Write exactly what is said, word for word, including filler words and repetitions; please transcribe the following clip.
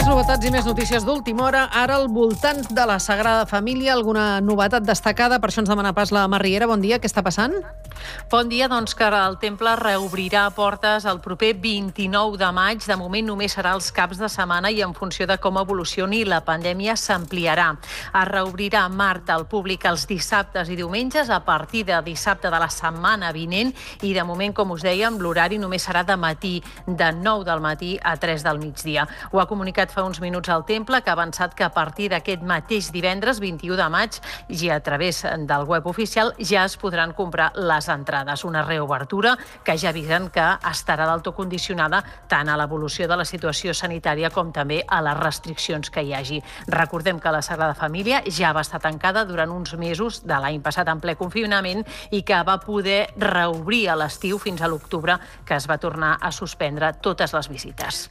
Més novetats i més notícies d'última hora. Ara al voltant de la Sagrada Família, alguna novetat destacada? Per això ens demana pas la Mar Riera. Bon dia, què està passant? Bon dia, doncs que el temple reobrirà portes el proper vint-i-nou de maig. De moment només serà els caps de setmana i en funció de com evolucioni la pandèmia s'ampliarà. Es reobrirà Mart al públic els dissabtes i diumenges a partir de dissabte de la setmana vinent i de moment, com us dèiem, l'horari només serà de matí, de nou del matí a tres del migdia. Ho ha comunicat fa uns minuts al temple, que ha avançat que a partir d'aquest mateix divendres, vint-i-u de maig, i a través del web oficial ja es podran comprar les entrades. Una reobertura que ja avisen que estarà del tot condicionada tant a l'evolució de la situació sanitària com també a les restriccions que hi hagi. Recordem que la Sagrada Família ja va estar tancada durant uns mesos de l'any passat en ple confinament i que va poder reobrir a l'estiu fins a l'octubre, que es va tornar a suspendre totes les visites.